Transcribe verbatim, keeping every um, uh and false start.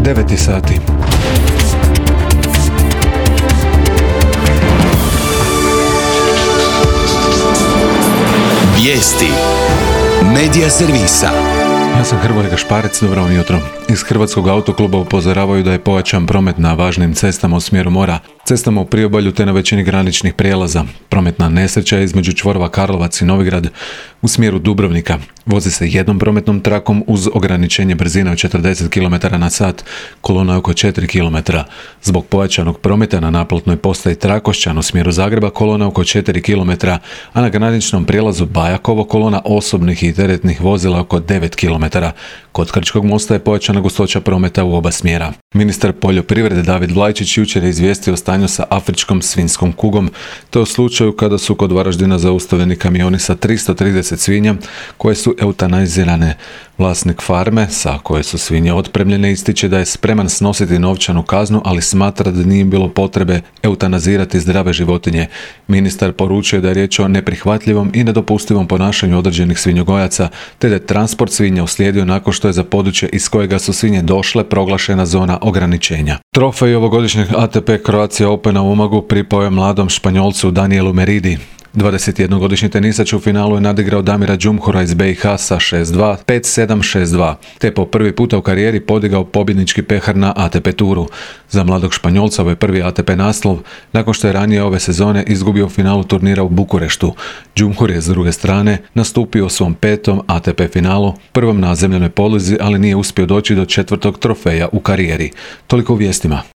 deveti sati. Vijesti Medija servisa. Ja sam Hrvoje Gašparec, dobro vam jutro. Iz Hrvatskog autokluba upozoravaju da je pojačan promet na važnim cestama u smjeru mora, cestama u priobalju te na većini graničnih prijelaza. Prometna nesreća je između čvorova Karlovac i Novigrad u smjeru Dubrovnika. Vozi se jednom prometnom trakom uz ograničenje brzine od četrdeset kilometara na sat, kolona je oko četiri kilometra. Zbog pojačanog prometa na naplatnoj postaji Trakošćan u smjeru Zagreba kolona oko četiri kilometra, a na graničnom prijelazu Bajakovo kolona osobnih i teretnih vozila oko devet kilometara. Kod Krčkog mosta je pojačana gustoća prometa u oba smjera. Ministar poljoprivrede David Vlajčić jučer je izvijestio o stanju sa afričkom svinjskom kugom, te o slučaju kada su kod Varaždina zaustavljeni kamioni sa tristo trideset svinja koje su eutanazirane. Vlasnik farme, sa koje su svinje otpremljene, ističe da je spreman snositi novčanu kaznu, ali smatra da nije bilo potrebe eutanazirati zdrave životinje. Ministar poručuje da je riječ o neprihvatljivom i nedopustivom ponašanju određenih svinjogojaca, te da je transport svinja uslijedio nakon što je za područje iz kojega su svinje došle proglašena zona ograničenja. Trofej ovogodišnjeg A T P Croatia Opena u Umagu pripao je mladom Španjolcu Danielu Meridi. dvadesetjednogodišnji tenisač u finalu je nadigrao Damira Džumhura iz B i H sa šest dva, pet sedam, šest dva, te po prvi puta u karijeri podigao pobjednički pehar na A T P turu. Za mladog Španjolca ovo je prvi A T P naslov, nakon što je ranije ove sezone izgubio u finalu turnira u Bukureštu. Džumhur je s druge strane nastupio u svom petom A T P finalu, prvom na zemljanoj podlozi, ali nije uspio doći do četvrtog trofeja u karijeri. Toliko u vijestima.